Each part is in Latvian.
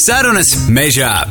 Sarunas mežā.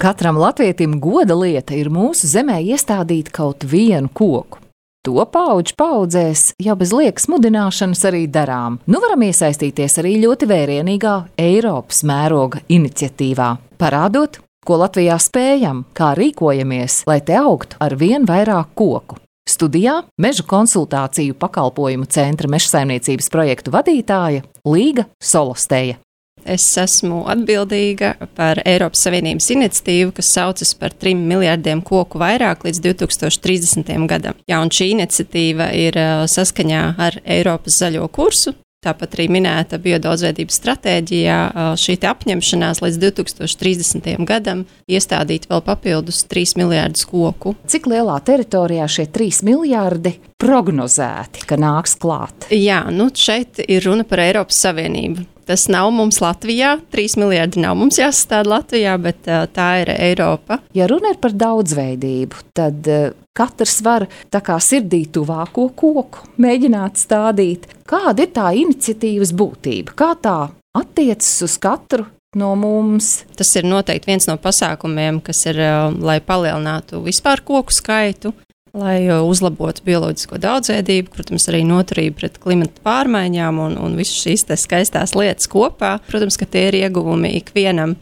Katram latvietim goda lieta ir mūsu zemē iestādīt kaut vienu koku. To paudžu paudzēs jau bez liekas mudināšanas arī darām. Nu varam iesaistīties arī ļoti vērienīgā Eiropas mēroga iniciatīvā, parādot, ko Latvijā spējam, kā rīkojamies, lai te augtu ar vien vairāk koku. Studijā Mežu konsultāciju pakalpojumu centra mežsaimniecības projektu vadītāja Līga Solosteja. Es esmu atbildīga par Eiropas Savienības iniciatīvu, kas saucas par 3 miljardiem koku vairāk līdz 2030. gadam. Jā, un šī iniciatīva ir saskaņā ar Eiropas zaļo kursu. Tāpat arī minēta biodaudzveidības stratēģijā šī apņemšanās līdz 2030. gadam iestādīt vēl papildus 3 miljārdus koku. Cik lielā teritorijā šie 3 miljārdi prognozēti, ka nāks klāt? Jā, šeit ir runa par Eiropas Savienību. Tas nav mums Latvijā, 3 miljardi nav mums jāsastāda Latvijā, bet tā ir Eiropa. Ja runa ir par daudzveidību, tad katrs var tā kā sirdī tuvāko koku mēģināt stādīt. Kāda ir tā iniciatīvas būtība? Kā tā attiecas uz katru no mums? Tas ir noteikti viens no pasākumiem, kas ir, lai palielinātu vispār koku skaitu, lai uzlabotu bioloģisko daudzveidību, protams, arī noturību pret klimata pārmaiņām un visas šīs skaistās lietas kopā. Protams, ka tie ir ieguvumi ikvienam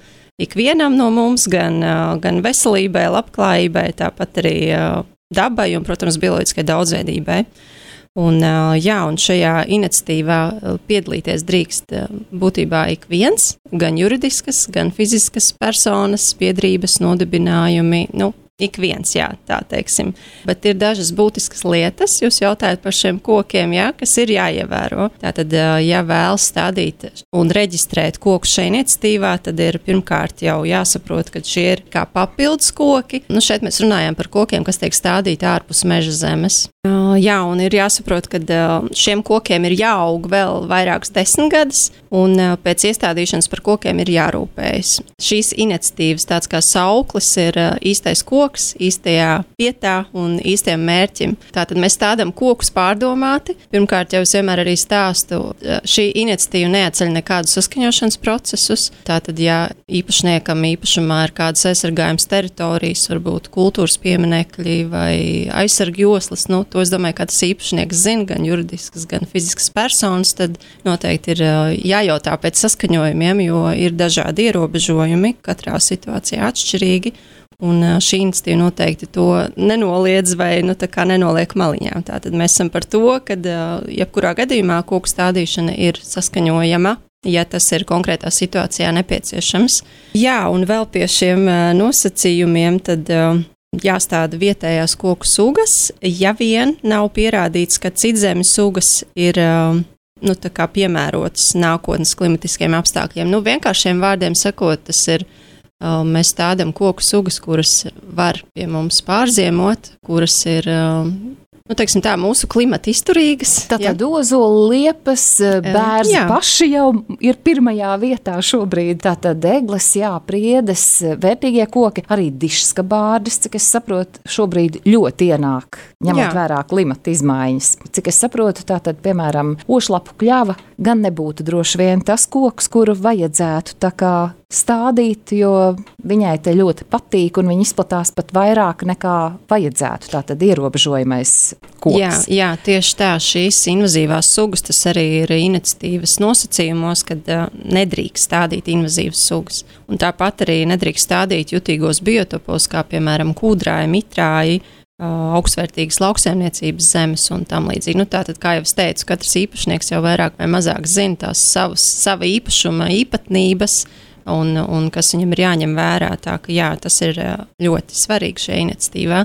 no mums, gan veselībai, labklājībai, tāpat arī dabai un, protams, bioloģiskai daudzveidībai. Un šajā iniciatīvā piedalīties drīkst būtībā ik viens, gan juridiskas, gan fiziskas personas, biedrības, nodibinājumi, ik viens, jā, tā teiksim. Bet ir dažas būtiskas lietas, jūs jautājat par šiem kokiem, jā, kas ir jāievēro. Tātad, ja vēlas stādīt un reģistrēt kokus šajā iniciatīvā, tad ir pirmkārt jau jāsaprot, ka šie ir kā papildus koki. Šeit mēs runājam par kokiem, kas tiek stādīti ārpus meža zemes. Jā, un ir jāsaprot, ka šiem kokiem ir jāaug vēl vairākas 10 gadus, un pēc iestādīšanas par kokiem ir jārūpējas. Šīs iniciatīvas tāds kā sauklis ir īstais koks, īstajā vietā un īstajam mērķim. Tātad mēs stādām kokus pārdomāti. Pirmkārt, jau es vienmēr arī stāstu, šī iniciatīva neatceļ nekādus saskaņošanas procesus. Tātad, ja īpašniekam īpašumā ir kādas aizsargājums teritorijas, varbūt kultūras pieminekļi vai aizsargu joslas, to es domāju, ka tas īpašnieks zina, gan juridiskas, gan fiziskas personas, tad noteikti ir jājautā pēc saskaņojumiem, jo ir dažādi ierobežojumi, katrā situācijā atšķirīgi, un šī iniciatīva noteikti to nenoliedz vai nenoliek maliņā. Tātad mēs esam par to, ka jebkurā gadījumā koku stādīšana ir saskaņojama, ja tas ir konkrētā situācijā nepieciešams. Jā, un vēl pie šiem nosacījumiem tad jāstāda vietējās koku sugas, ja vien nav pierādīts, ka citzemes sugas ir piemērotas nākotnes klimatiskiem apstākļiem. Vienkāršiem vārdiem sakot, tas ir, mēs stādām koku sugas, kuras var pie mums pārziemot, kuras ir mūsu klimata izturīgas. Tātad ozolu, liepas, bērzi paši jau ir pirmajā vietā šobrīd. Tātad egles, priedes, vērtīgie koki, arī dišskabārdes, cik es saprotu, šobrīd ļoti ienāk, ņemot vērā klimata izmaiņas. Cik es saprotu, tātad, piemēram, ošlapu kļava gan nebūtu droši vien tas koks, kuru vajadzētu tā kā stādīt, jo viņai te ļoti patīk un viņa izplatās pat vairāk nekā vajadzētu. Tātad ierobežojamais koks. Jā, tieši tā, šīs invazīvās sugas, tas arī ir iniciatīvas nosacījumos, kad nedrīkst stādīt invazīvas sugas. Un tāpat arī nedrīkst stādīt jutīgos biotopos, kā piemēram kūdrāji, mitrāji, augstvērtīgas lauksaimniecības zemes un tam līdzīgi. Tātad, kā jau es teicu, katrs īpašnieks jau vairāk vai mazāk zina tās sava īpašuma īpatnības, un kas viņam ir jāņem vērā. Tā ka jā, tas ir ļoti svarīgi šajā iniciatīvā.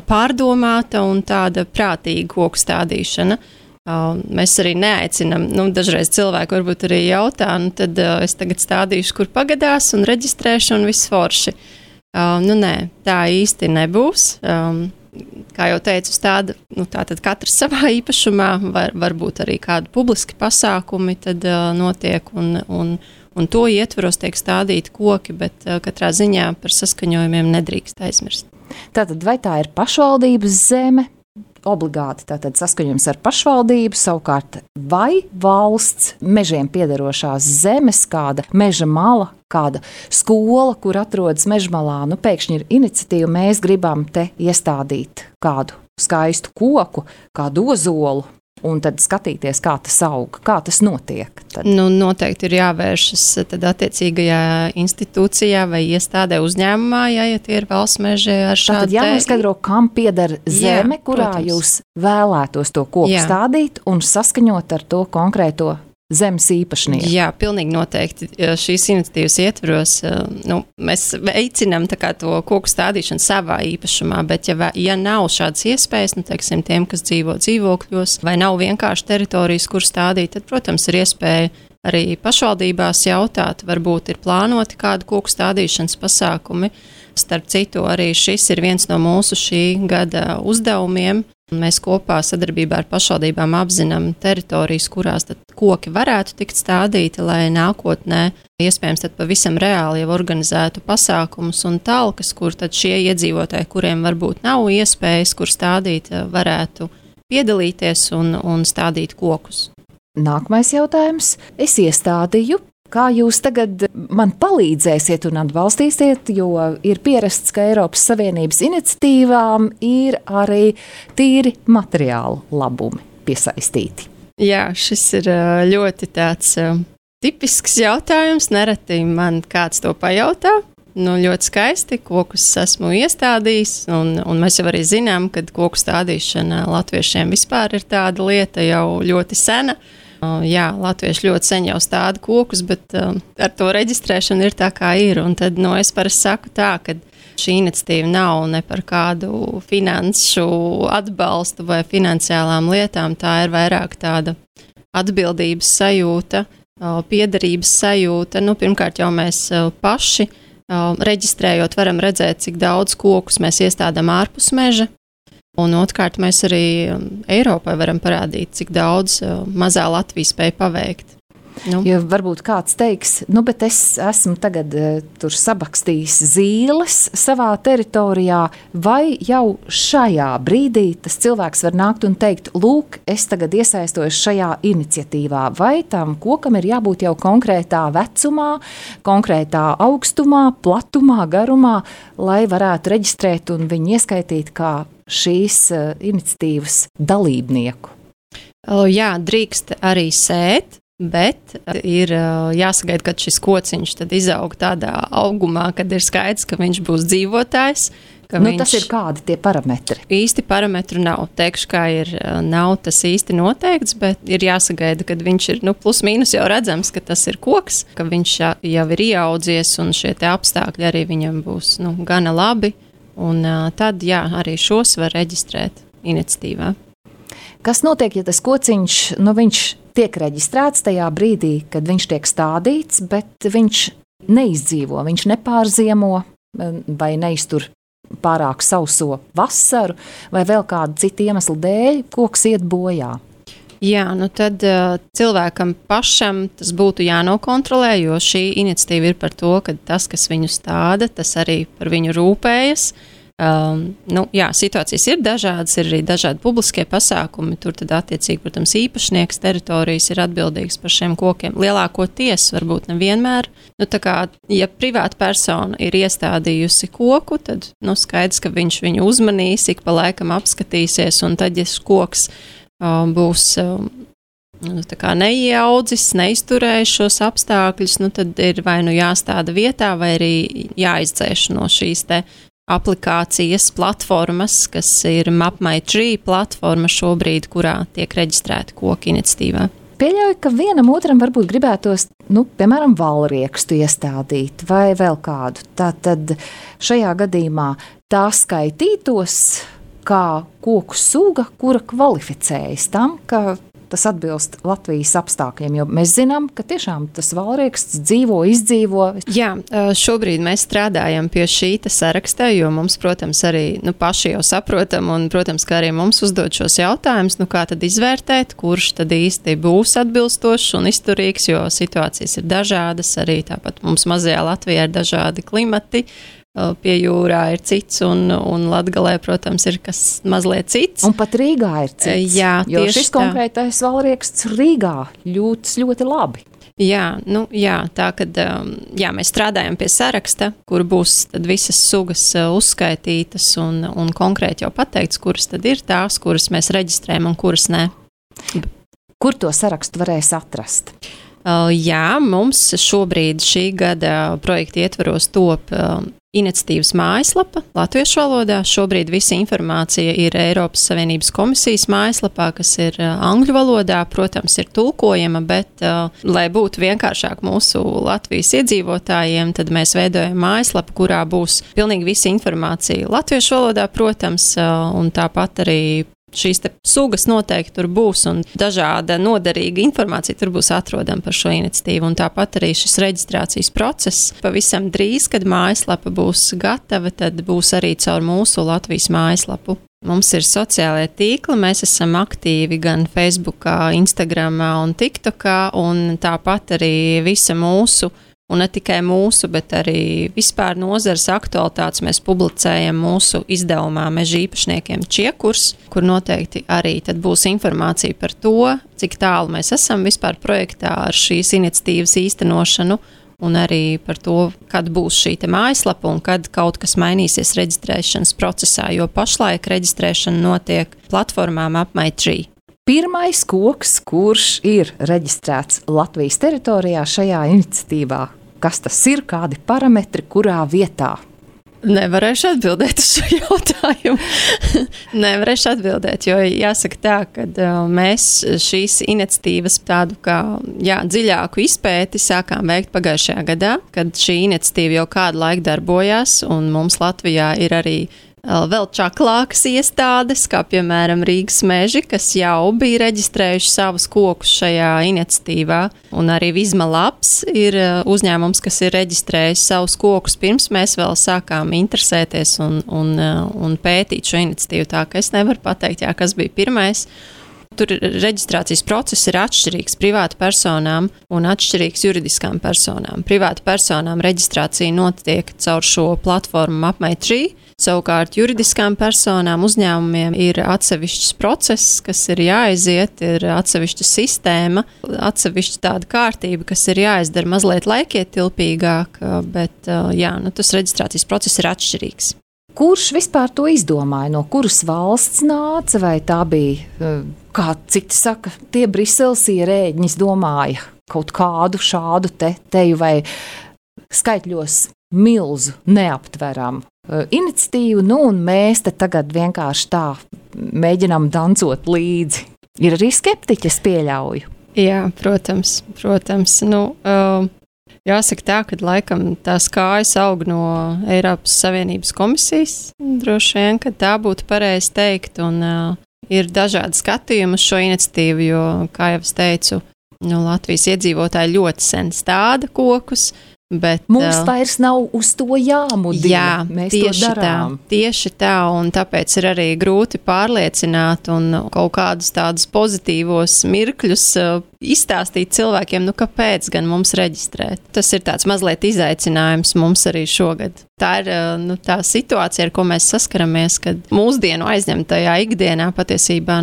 Pārdomāta un tāda prātīga koku stādīšana. Mēs arī neaicinam, dažreiz cilvēki varbūt arī jautā, tad es tagad stādīšu, kur pagadās un reģistrēšu un viss forši. Nē, tā īsti nebūs. Kā jau teicu, tātad katrs savā īpašumā, varbūt arī kādi publiski pasākumi tad notiek un to ietvaros tiek stādīti koki, bet katrā ziņā par saskaņojumiem nedrīkst aizmirst. Tātad vai tā ir pašvaldības zeme, obligāti tātad saskaņojums ar pašvaldību, savukārt vai valsts mežiem piederošās zemes, kāda meža mala, kāda skola, kur atrodas mežmalā, pēkšņi ir iniciatīva, mēs gribam te iestādīt kādu skaistu koku, kādu ozolu, un tad skatīties, kā tas aug, kā tas notiek. Tad. Noteikti ir jāvēršas tad attiecīgajā institūcijā vai iestādē uzņēmumā, ja tie ir valsts meži ar šādu. Tad jānoskaidro, kam pieder zeme, kurā jūs vēlētos to koku stādīt un saskaņot ar to konkrēto zemes īpašnieku. Jā, pilnīgi noteikti. Šīs iniciatīvas ietvaros mēs veicinām to koku stādīšanu savā īpašumā, bet ja nav šādas iespējas, teiksim, tiem, kas dzīvo dzīvokļos, vai nav vienkārši teritorijas, kur stādīt, tad, protams, ir iespēja arī pašvaldībās jautāt, varbūt ir plānoti kādu koku stādīšanas pasākumi. Starp citu, arī šis ir viens no mūsu šī gada uzdevumiem. Mēs kopā sadarbībā ar pašvaldībām apzinām teritorijas, kurās tad koki varētu tikt stādīti, lai nākotnē iespējams tad pavisam reāli jau organizētu pasākumus un talkas, kur tad šie iedzīvotāji, kuriem varbūt nav iespējas, kur stādīt, varētu piedalīties un stādīt kokus. Nākamais jautājums. Es iestādīju. Kā jūs tagad man palīdzēsiet un atbalstīsiet, jo ir pierasts, ka Eiropas Savienības iniciatīvām ir arī tīri materiālu labumi piesaistīti? Jā, šis ir ļoti tāds tipisks jautājums. Nereti man kāds to pajautā. Ļoti skaisti, kokus esmu iestādījis, un mēs jau arī zinām, ka koku stādīšana latviešiem vispār ir tāda lieta jau ļoti sena. Jā, latvieši ļoti sen jau stāda kokus, bet ar to reģistrēšanu ir tā, kā ir. Un tad es parasti saku tā, ka šī iniciatīva nav ne par kādu finanšu atbalstu vai finansiālām lietām. Tā ir vairāk tāda atbildības sajūta, piederības sajūta. Pirmkārt jau mēs paši reģistrējot varam redzēt, cik daudz kokus mēs iestādām ārpus meža. Un otrkārt, mēs arī Eiropai varam parādīt, cik daudz mazā Latvija spēj paveikt. Jo varbūt kāds teiks, bet es esmu tagad tur sabakstījis zīles savā teritorijā, vai jau šajā brīdī tas cilvēks var nākt un teikt, lūk, es tagad iesaistos šajā iniciatīvā, vai tam kokam ir jābūt jau konkrētā vecumā, konkrētā augstumā, platumā, garumā, lai varētu reģistrēt un viņu ieskaitīt kā šīs iniciatīvas dalībnieku? Jā, drīkst arī sēt. Bet ir jāsagaida, kad šis kociņš tad izaug tādā augumā, kad ir skaidrs, ka viņš būs dzīvotājs. Tas ir kādi tie parametri? Īsti parametru nav. Teikšu, kā nav tas īsti noteikts, bet ir jāsagaida, kad viņš ir plus mīnus jau redzams, ka tas ir koks, ka viņš jau ir ieaudzies un šie te apstākļi arī viņam būs gana labi. Un tad, arī šos var reģistrēt iniciatīvā. Kas notiek, ja tas kociņš, viņš tiek reģistrēts tajā brīdī, kad viņš tiek stādīts, bet viņš neizdzīvo, viņš nepārziemo vai neiztur pārāk sauso vasaru vai vēl kādu citu iemeslu dēļ, koks iet bojā? Jā, tad cilvēkam pašam tas būtu jānokontrolē, jo šī iniciatīva ir par to, ka tas, kas viņu stāda, tas arī par viņu rūpējas. Situācijas ir dažādas, ir arī dažādi publiskie pasākumi. Tur tad attiecīgi, protams, īpašnieks teritorijas ir atbildīgs par šiem kokiem. Lielākoties, varbūt nevienmēr. Ja privāta persona ir iestādījusi koku, tad skaidrs, ka viņš viņu uzmanīs, ik pa laikam apskatīsies, un tad, ja koks būs neieaudzis, neizturējis šos apstākļus, tad ir vai jāstāda vietā, vai arī jāizdzēš no šīs te aplikācijas platformas, kas ir MapMyTree platforma šobrīd, kurā tiek reģistrēta koku iniciatīvā. Pieļauju, ka vienam otram varbūt gribētos, piemēram, valriekstu iestādīt vai vēl kādu. Tātad šajā gadījumā tā skaitītos kā koku suga, kura kvalificējas tam, ka tas atbilst Latvijas apstākļiem, jo mēs zinām, ka tiešām tas valrieksts izdzīvo. Jā, šobrīd mēs strādājam pie šī saraksta, jo mums, protams, arī paši jau saprotam, un, protams, ka arī mums uzdod šos jautājumus, kā tad izvērtēt, kurš tad īsti būs atbilstošs un izturīgs, jo situācijas ir dažādas, arī tāpat mums mazajā Latvijā ir dažādi klimati, pie jūrā ir cits, un Latgalē, protams, ir kas mazliet cits. Un pat Rīgā ir cits. Jā, jo šis konkrētais valrieksts Rīgā jūtas ļoti labi. Jā, tā kad mēs strādājam pie saraksta, kur būs tad visas sugas uzskaitītas un konkrēti jau pateikts, kuras tad ir tās, kuras mēs reģistrējam un kuras nē. Kur to sarakstu varēs atrast? Jā, mums šobrīd šī gada projekta ietvaros top iniciatīvas mājaslapa latviešu valodā. Šobrīd visa informācija ir Eiropas Savienības komisijas mājaslapā, kas ir angļu valodā. Protams, ir tulkojama, bet, lai būtu vienkāršāk mūsu Latvijas iedzīvotājiem, tad mēs veidojam mājaslapu, kurā būs pilnīgi visa informācija latviešu valodā, protams, un tāpat arī šīs te sugas noteikti tur būs un dažāda noderīga informācija tur būs atrodama par šo iniciatīvu. Un tāpat arī šis reģistrācijas process pavisam drīz, kad mājaslapa būs gatava, tad būs arī caur mūsu Latvijas mājaslapu. Mums ir sociālie tīkli, mēs esam aktīvi gan Facebookā, Instagramā un TikTokā, un tāpat arī visa mūsu, un ne tikai mūsu, bet arī vispār nozares aktualitātes mēs publicējam mūsu izdevumā Meža īpašniekiem Čiekurs, kur noteikti arī tad būs informācija par to, cik tālu mēs esam vispār projektā ar šīs iniciatīvas īstenošanu, un arī par to, kad būs šī te mājaslapa un kad kaut kas mainīsies reģistrēšanas procesā, jo pašlaik reģistrēšana notiek platformām Apmai3. Pirmais koks, kurš ir reģistrēts Latvijas teritorijā šajā iniciatīvā. Kas tas ir, kādi parametri, kurā vietā? Nevarēšu atbildēt uz šo jautājumu. Nevarēšu atbildēt, jo jāsaka tā, ka mēs šīs iniciatīvas tādu kā dziļāku izpēti sākām veikt pagājušajā gadā, kad šī iniciatīva jau kādu laiku darbojās, un mums Latvijā ir arī vēl čaklākas iestādes, kā piemēram Rīgas meži, kas jau bija reģistrējuši savus kokus šajā iniciatīvā, un arī Vizma Labs ir uzņēmums, kas ir reģistrējis savus kokus pirms mēs vēl sākām interesēties un pētīt šo iniciatīvu, tā ka es nevaru pateikt, kas bija pirmais. Tur reģistrācijas process ir atšķirīgs privātu personām un atšķirīgs juridiskām personām. Privātu personām reģistrācija notiek caur šo platformu Apmai3, savukārt juridiskām personām uzņēmumiem ir atsevišķs process, kas ir jāaiziet, ir atsevišķa sistēma, atsevišķa tāda kārtība, kas ir jāizdara mazliet laikietilpīgāk, bet tas reģistrācijas process ir atšķirīgs. Kurš vispār to izdomāja? No kuras valsts nāca, vai tā bija, kā citi saka, tie Briseles ierēģi domāja kaut kādu šādu teju vai skaitļos milzu neaptveramu iniciatīvu, un mēs te tagad vienkārši tā mēģinām dancot līdzi. Ir arī skeptiķi, es pieļauju. Jā, protams. Jāsaka tā, ka laikam tās kājas aug no Eiropas Savienības komisijas, droši vien, ka tā būtu pareizi teikt, un ir dažādi skatījumi uz šo iniciatīvu, jo, kā jau es teicu, Latvijas iedzīvotāji ļoti sen stāda kokus, bet mums vairs nav uz to jāmudina. Jā, mēs to darām. Tieši tā, un tāpēc ir arī grūti pārliecināt un kaut kādus tādus pozitīvos mirkļus izstāstīt cilvēkiem, kāpēc gan mums reģistrēt. Tas ir tāds mazliet izaicinājums mums arī šogad. Tā ir tā situācija, ar ko mēs saskaramies, kad mūsdienu aizņemtajā ikdienā patiesībā,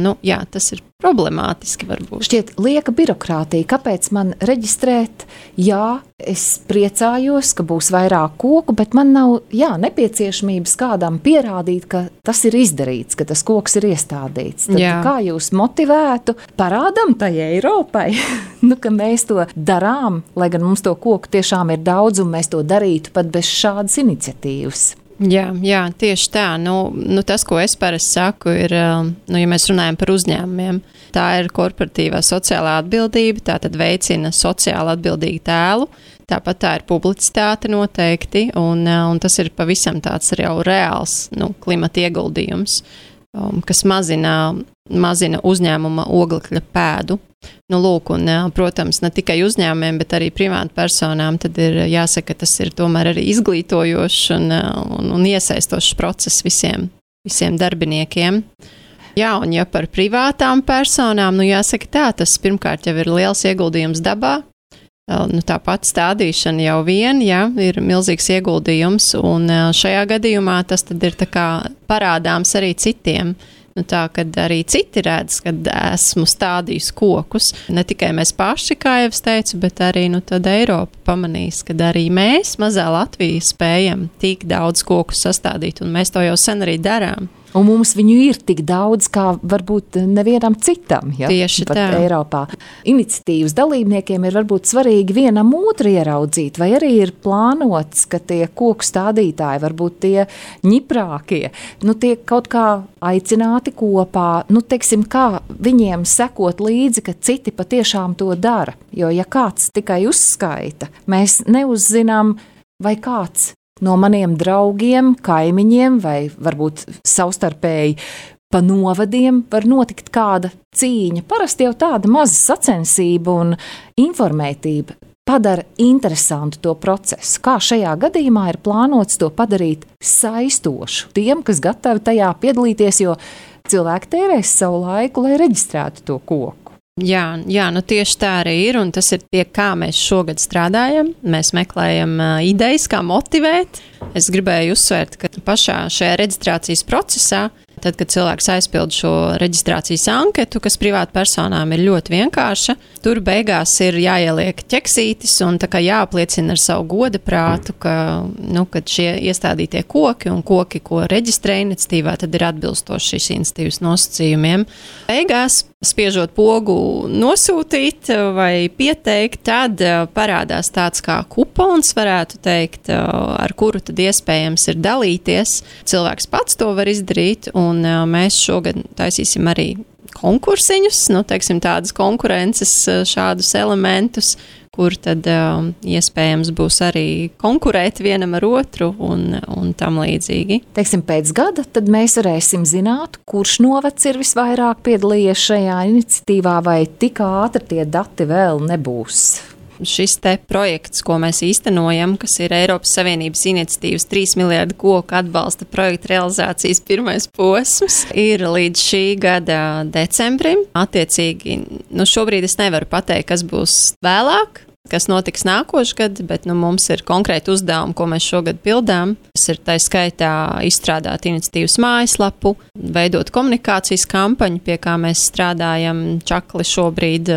tas ir problemātiski varbūt. Šķiet lieka birokrātija. Kāpēc man reģistrēt? Jā, es priecājos, ka būs vairāk koku, bet man nav nepieciešamības kādam pierādīt, ka tas ir izdarīts, ka tas koks ir iestādīts. Tad kā jūs motivētu? Parādam tai Eiropai, ka mēs to darām, lai gan mums to koku tiešām ir daudz, un mēs to darītu pat bez šādas iniciatīvas. Jā, tieši tā. Tas, ko es parasti saku, ir, ja mēs runājam par uzņēmumiem, tā ir korporatīvā sociālā atbildība, tā tad veicina sociāli atbildīgu tēlu, tāpat tā ir publicitāte noteikti, un tas ir pavisam tāds jau reāls klimata ieguldījums, kas mazina uzņēmuma oglekļa pēdu. Protams, ne tikai uzņēmumiem, bet arī privātu personām, tad ir jāsaka, ka tas ir tomēr arī izglītojošs un iesaistošs process visiem darbiniekiem. Jā, un ja par privātām personām, jāsaka tā, tas pirmkārt jau ir liels ieguldījums dabā. tā pati stādīšana jau ir milzīgs ieguldījums, un šajā gadījumā tas tad ir tā kā parādāms arī citiem. Tā, kad arī citi redz, kad esmu stādījis kokus, ne tikai mēs paši, kā jau es teicu, bet arī tad Eiropa pamanīs, kad arī mēs, mazā Latvija, spējam tik daudz kokus sastādīt, un mēs to jau sen arī darām. Un mums viņu ir tik daudz, kā varbūt nevienam citam, Tieši pat tā. Eiropā. Iniciatīvas dalībniekiem ir varbūt svarīgi vienam otru ieraudzīt, vai arī ir plānots, ka tie koku stādītāji, varbūt tie ņiprākie, tiek kaut kā aicināti kopā, teiksim, kā viņiem sekot līdzi, ka citi patiešām to dara. Jo, ja kāds tikai uzskaita, mēs neuzzinām, vai kāds no maniem draugiem, kaimiņiem vai varbūt savstarpēji pa novadiem var notikt kāda cīņa. Parasti jau tāda maza sacensība un informētība padara interesantu to procesu. Kā šajā gadījumā ir plānots to padarīt saistošu tiem, kas gatavi tajā piedalīties, jo cilvēki tērēs savu laiku, lai reģistrētu to koku. Jā, tieši tā arī ir, un tas ir pie kā mēs šogad strādājam. Mēs meklējam idejas, kā motivēt. Es gribēju uzsvērt, ka pašā šajā reģistrācijas procesā, tad, kad cilvēks aizpild šo reģistrācijas anketu, kas privātpersonām ir ļoti vienkārša, tur beigās ir jāieliek ķeksītis un tā kā jāapliecina ar savu godaprātu, ka šie iestādītie koki un koki, ko reģistrē iniciatīvā, tad ir atbilstoši šīs iniciatīvas nosacījumiem. Beigās, spiežot pogu nosūtīt vai pieteikt, tad parādās tāds kā kupons, varētu teikt, ar kuru tad iespējams ir dalīties. Cilvēks pats to var izdarīt, un mēs šogad taisīsim arī konkursiņus, teiksim tādas konkurences šādus elementus, kur tad iespējams būs arī konkurēt vienam ar otru un tam līdzīgi. Teiksim, pēc gada tad mēs varēsim zināt, kurš novads ir visvairāk piedalījies šajā iniciatīvā, vai tik ātri tie dati vēl nebūs. Šis te projekts, ko mēs īstenojam, kas ir Eiropas Savienības iniciatīvas 3 miljardu koku atbalsta projekta realizācijas pirmais posms, ir līdz šī gada decembrim. Attiecīgi, šobrīd es nevaru pateikt, kas būs vēlāk, kas notiks nākošais gads, bet mums ir konkrēti uzdevumi, ko mēs šogad pildām. Tas ir tā skaitā izstrādāt iniciatīvas mājaslapu, veidot komunikācijas kampaņu, pie kā mēs strādājam. Čakli šobrīd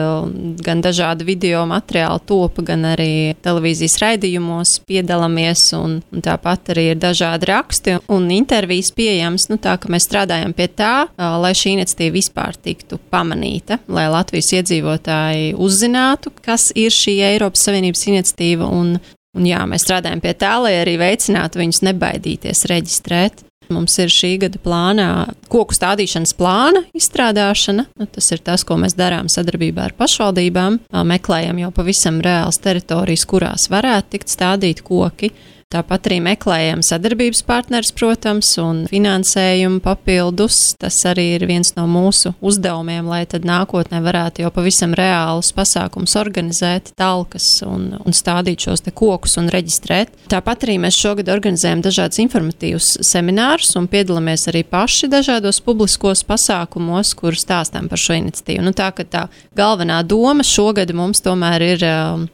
gan dažādi video materiāli topa, gan arī televīzijas raidījumos piedalāmies, un tāpat arī ir dažādi raksti un intervijas pieejams. Tā, ka mēs strādājam pie tā, lai šī iniciatīva vispār tiktu pamanīta, lai Latvijas iedzīvotāji uzzinātu, kas ir šī Eiropas Savienības iniciatīva, un mēs strādājam pie tā, lai arī veicinātu viņus nebaidīties reģistrēt. Mums ir šī gada plānā koku stādīšanas plāna izstrādāšana. Tas ir tas, ko mēs darām sadarbībā ar pašvaldībām. Meklējam jau pavisam reāls teritorijas, kurās varētu tikt stādīt koki. Tāpat arī meklējam sadarbības partners, protams, un finansējumu papildus. Tas arī ir viens no mūsu uzdevumiem, lai tad nākotnē varētu jau pavisam reālus pasākumus organizēt, talkas un stādīt šos te kokus un reģistrēt. Tāpat arī mēs šogad organizējam dažādus informatīvus seminārus un piedalāmies arī paši dažādos publiskos pasākumos, kur stāstām par šo iniciatīvu. Tā galvenā doma šogad mums tomēr ir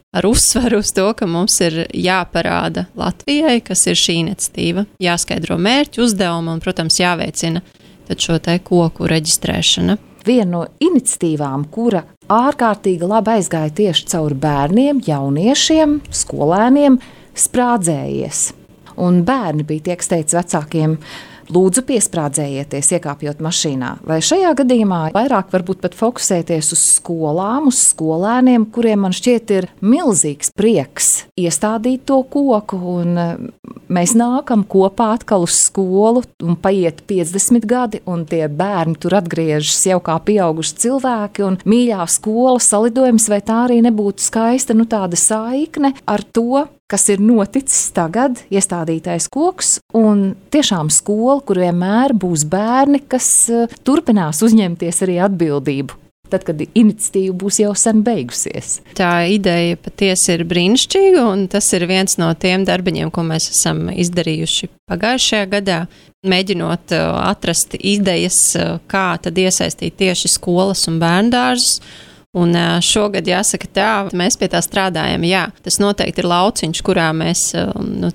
ar uzsvaru uz to, ka mums ir jāparāda Latvijai, kas ir šī iniciatīva, jāskaidro mērķi, uzdevumi un, protams, jāveicina tad šo te koku reģistrēšana. Viena no iniciatīvām, kura ārkārtīgi labi aizgāja tieši caur bērniem, jauniešiem, skolēniem, sprādzējies. Un bērni bija tie, kas teica vecākiem: lūdzu, piesprādzējieties, iekāpjot mašīnā. Vai šajā gadījumā vairāk varbūt pat fokusēties uz skolām, uz skolēniem, kuriem man šķiet ir milzīgs prieks iestādīt to koku, un mēs nākam kopā atkal uz skolu, un paiet 50 gadi, un tie bērni tur atgriežas jau kā pieauguši cilvēki, un mīļā skola salidojums, vai tā arī nebūtu skaista, tāda saikne ar to, kas ir noticis tagad, iestādītais koks, un tiešām skola, kur vienmēr būs bērni, kas turpinās uzņemties arī atbildību, tad, kad iniciatīva būs jau sen beigusies. Tā ideja patiesi ir brīnišķīga, un tas ir viens no tiem darbiņiem, ko mēs esam izdarījuši pagājušajā gadā, mēģinot atrast idejas, kā tad iesaistīt tieši skolas un bērndārzus. Un šogad jāsaka tā, mēs pie tā strādājam, jā, tas noteikti ir lauciņš, kurā mēs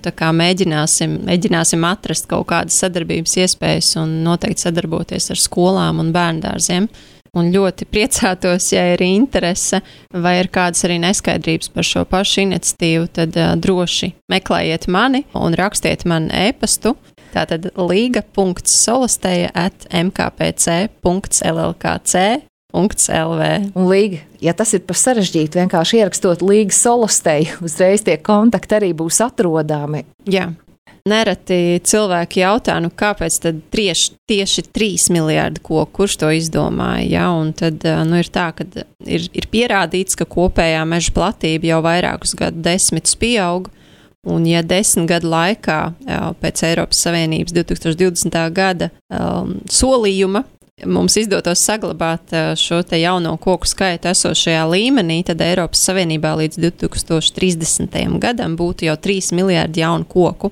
tā kā mēģināsim atrast kaut kādas sadarbības iespējas un noteikti sadarboties ar skolām un bērndārziem. Un ļoti priecātos, ja ir interese vai ir kādas arī neskaidrības par šo pašu iniciatīvu, tad droši meklējiet mani un rakstiet man e-pastu. Tātad liga.solostēja@mkpc.llkc.lv. Un Līga, ja tas ir par sarežģītu, vienkārši ierakstot Līga Solostēju, uzreiz tie kontakti arī būs atrodami. Jā. Nereti cilvēki jautā, kāpēc tad tieši 3 miljārdi koku, kurš to izdomāja, ja? Un tad ir tā, ka ir pierādīts, ka kopējā meža platība jau vairākus gadu desmitus pieaug, un ja 10 gadu laikā pēc Eiropas Savienības 2020. Gada solījuma mums izdotos saglabāt šo te jauno koku skaitu esošajā līmenī, tad Eiropas Savienībā līdz 2030. gadam būtu jau 3 miljārdi jaunu koku.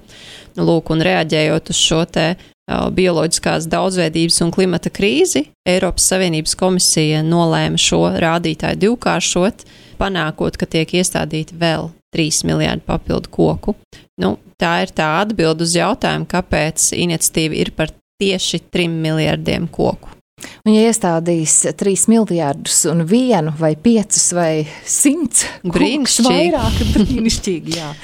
Lūk, un reaģējot uz šo te bioloģiskās daudzveidības un klimata krīzi, Eiropas Savienības komisija nolēma šo rādītāju divkāršot, panākot, ka tiek iestādīti vēl 3 miljārdi papildu koku. Tā ir tā atbilde uz jautājumu, kāpēc iniciatīva ir par tieši 3 miljardiem koku. Un ja iestādīs 3 miljārdus un 1 vai 5 vai 100 kokus vairāk, brīnišķīgi, jā.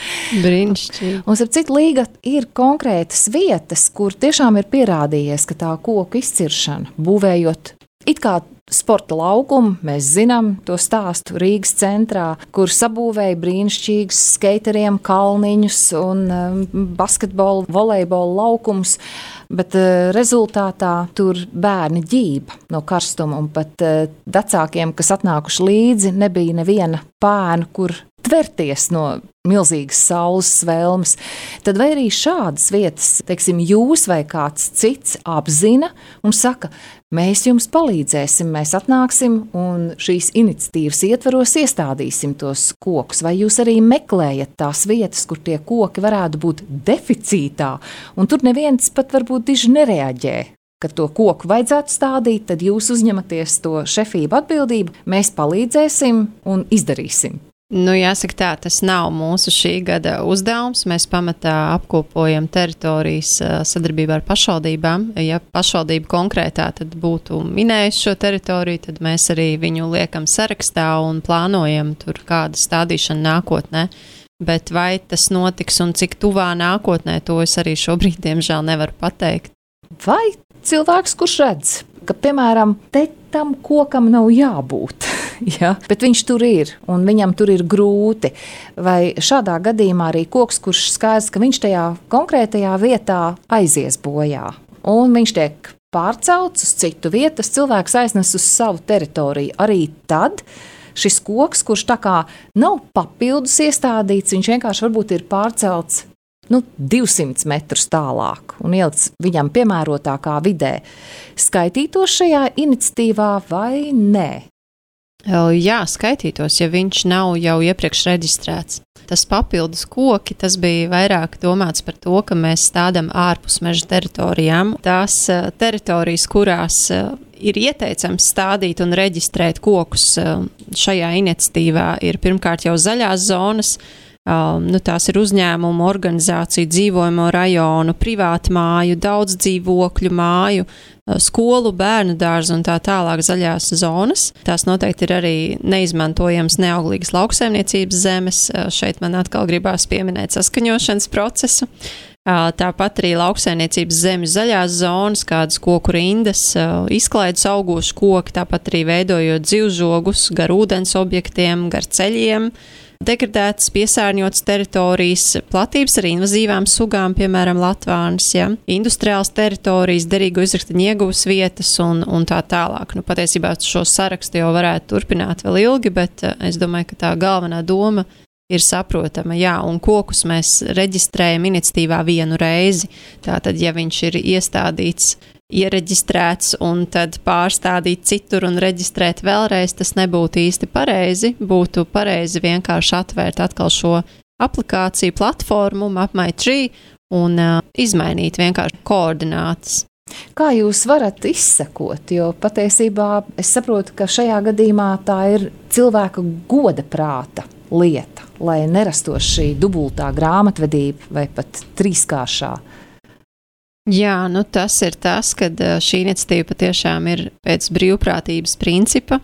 Brīnišķīgi. Un ar citu Līga ir konkrētas vietas, kur tiešām ir pierādījies, ka tā koku izciršana, būvējot it kā sporta laukumu, mēs zinām to stāstu Rīgas centrā, kur sabūvēja brīnišķīgus skateriem kalniņus un basketbolu, volejbolu laukumus, bet rezultātā tur bērni ģība no karstuma, un pat vecākiem, kas atnākuši līdzi, nebija neviena pēnu, kur tverties no milzīgas saules svelmes. Tad vai arī šādas vietas, teiksim, jūs vai kāds cits apzina un saka, mēs jums palīdzēsim, mēs atnāksim un šīs iniciatīvas ietvaros iestādīsim tos kokus, vai jūs arī meklējat tās vietas, kur tie koki varētu būt deficītā, un tur neviens pat varbūt diži nereaģē, ka to koku vajadzētu stādīt, tad jūs uzņematies to šefību atbildību, mēs palīdzēsim un izdarīsim. Jāsaka tā, tas nav mūsu šī gada uzdevums. Mēs pamatā apkopojam teritorijas sadarbībā ar pašvaldībām. Ja pašvaldība konkrētā tad būtu minējusi šo teritoriju, tad mēs arī viņu liekam sarakstā un plānojam tur kādu stādīšanu nākotnē. Bet vai tas notiks un cik tuvā nākotnē, to es arī šobrīd, diemžēl, nevaru pateikt. Vai cilvēks, kurš redz, ka, piemēram, te tam kokam nav jābūt, ja, bet viņš tur ir un viņam tur ir grūti, vai šādā gadījumā arī koks, kurš skaidrs, ka viņš tajā konkrētajā vietā aizies bojā, un viņš tiek pārcelts uz citu vietu, tas cilvēks aiznes uz savu teritoriju. Arī tad šis koks, kurš tā kā nav papildus iestādīts, viņš vienkārši varbūt ir pārcelts 200 metrus tālāk un ielikts viņam piemērotākā vidē. Skaitītos šajā iniciatīvā vai nē? Jā, skaitītos, ja viņš nav jau iepriekš reģistrēts. Tas papildus koki, tas bija vairāk domāts par to, ka mēs stādam ārpus meža teritorijām. Tās teritorijas, kurās ir ieteicams stādīt un reģistrēt kokus šajā iniciatīvā, ir pirmkārt jau zaļās zonas. Tās ir uzņēmumu, organizāciju, dzīvojamo rajonu, privātu māju, daudz dzīvokļu māju, skolu, bērnu dārzu un tā tālāk zaļās zonas. Tās noteikti ir arī neizmantojams neauglīgas lauksaimniecības zemes. Šeit man atkal gribās pieminēt saskaņošanas procesu. Tāpat arī lauksaimniecības zemju zaļās zonas, kādas koku rindas, izklaidus augošu koki, tāpat arī veidojot dzīvžogus gar ūdens objektiem, gar ceļiem. Degradētas, piesārņotas teritorijas, platības ar invazīvām sugām, piemēram, latvānis, ja? Industriāls teritorijas, derīgo izraktaņu ieguvas vietas un tā tālāk. Patiesībā šo sarakstu jau varētu turpināt vēl ilgi, bet es domāju, ka tā galvenā doma ir saprotama, jā, un kokus mēs reģistrējam iniciatīvā vienu reizi. Tātad, ja viņš ir iestādīts, iereģistrēts un tad pārstādīt citur un reģistrēt vēlreiz, tas nebūtu īsti pareizi. Būtu pareizi vienkārši atvērt atkal šo aplikāciju platformu MapMyTree un izmainīt vienkārši koordinātas. Kā jūs varat izsekot, jo patiesībā es saprotu, ka šajā gadījumā tā ir cilvēka goda prāta lieta, lai nerastos šī dubultā grāmatvedība vai pat trīskāršā. Jā, tas ir tas, kad šī iniciatīva patiešām ir pēc brīvprātības principa.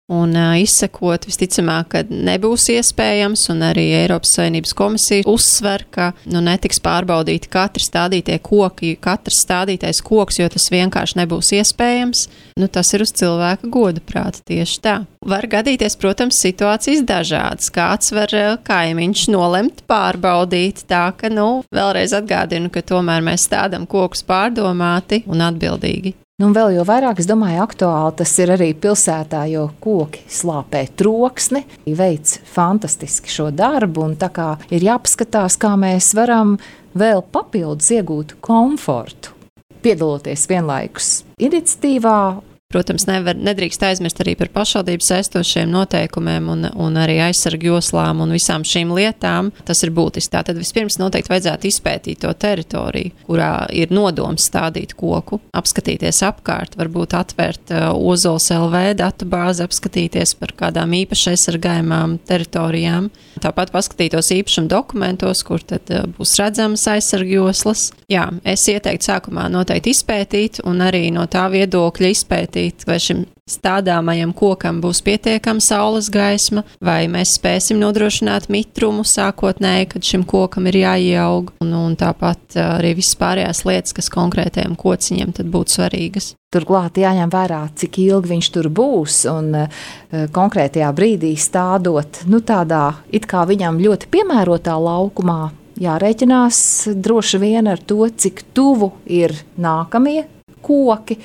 Un izsekot, visticamāk, ka nebūs iespējams, un arī Eiropas Savienības komisija uzsver, ka netiks pārbaudīti katri stādītie koki, katrs stādītais koks, jo tas vienkārši nebūs iespējams. Tas ir uz cilvēka goda prāta tieši tā. Var gadīties, protams, situācijas dažādas. Kāds var kaimiņš nolemt pārbaudīt tā, ka, vēlreiz atgādinu, ka tomēr mēs stādam kokus pārdomāti un atbildīgi. Un vēl jau vairāk, es domāju, aktuāli tas ir arī pilsētā, jo koki slāpē troksni, veic fantastiski šo darbu, un tā kā ir jāpaskatās, kā mēs varam vēl papildus iegūt komfortu, piedaloties vienlaikus iniciatīvā. Protams, nedrīkst aizmirst arī par pašvaldības saistošiem noteikumiem un arī aizsargu joslām un visām šīm lietām. Tas ir būtiski. Tātad vispirms noteikti vajadzētu izpētīt to teritoriju, kurā ir nodoms stādīt koku, apskatīties apkārt, varbūt atvērt Ozols LV datubāzi, apskatīties par kādām īpaši aizsargājumām teritorijām. Tāpat paskatītos īpašuma dokumentos, kur tad būs redzamas aizsargu joslas. Jā, es ieteiktu sākumā noteikti izpētīt un arī no tā viedokļa izpētīt, vai šim stādāmajam kokam būs pietiekama saules gaisma, vai mēs spēsim nodrošināt mitrumu sākotnēji, kad šim kokam ir jāieaug, un tāpat arī visas pārējās lietas, kas konkrētajam kociņam tad būtu svarīgas. Turklāt jāņem vērā, cik ilgi viņš tur būs, un konkrētajā brīdī stādot, tādā it kā viņam ļoti piemērotā laukumā, jārēķinās droši vien ar to, cik tuvu ir nākamie koki,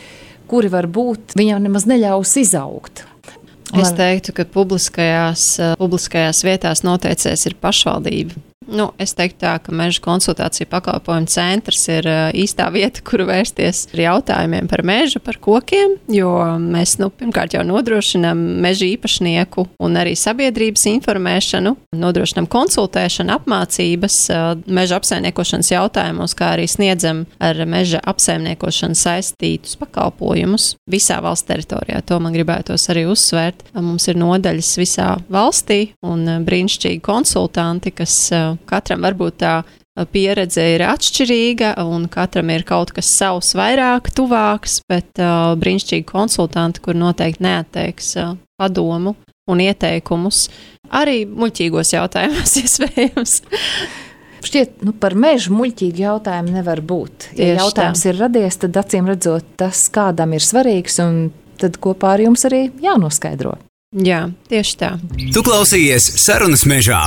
kuri varbūt viņam nemaz neļaus izaugt. Es teiktu, ka publiskajās vietās noteicējs ir pašvaldība. Es teiktu tā, ka meža konsultāciju pakalpojumu centrs ir īstā vieta, kuru vērsties ar jautājumiem par mežu, par kokiem, jo mēs pirmkārt jau nodrošinām meža īpašnieku un arī sabiedrības informēšanu, nodrošinām konsultēšanu, apmācības meža apsaimniekošanas jautājumos, kā arī sniedzam ar meža apsaimniekošanu saistītus pakalpojumus visā valsts teritorijā. To man gribētos arī uzsvērt. Mums ir nodaļas visā valstī un brīnišķīgi konsultanti, kas katram varbūt tā pieredze ir atšķirīga un katram ir kaut kas savs vairāk tuvāks, bet brīnišķīgi konsultanti, kur noteikti neatteiks padomu un ieteikumus, arī muļķīgos jautājumos iespējams. Šķiet, par mežu muļķīgi jautājumu nevar būt. Ja jautājums ir radies, tad acīm redzot tas kādam ir svarīgs un tad kopā ar jums arī jānoskaidro. Jā, tieši tā. Tu klausījies Sarunas mežā.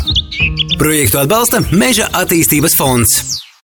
Projektu atbalsta Meža attīstības fonds.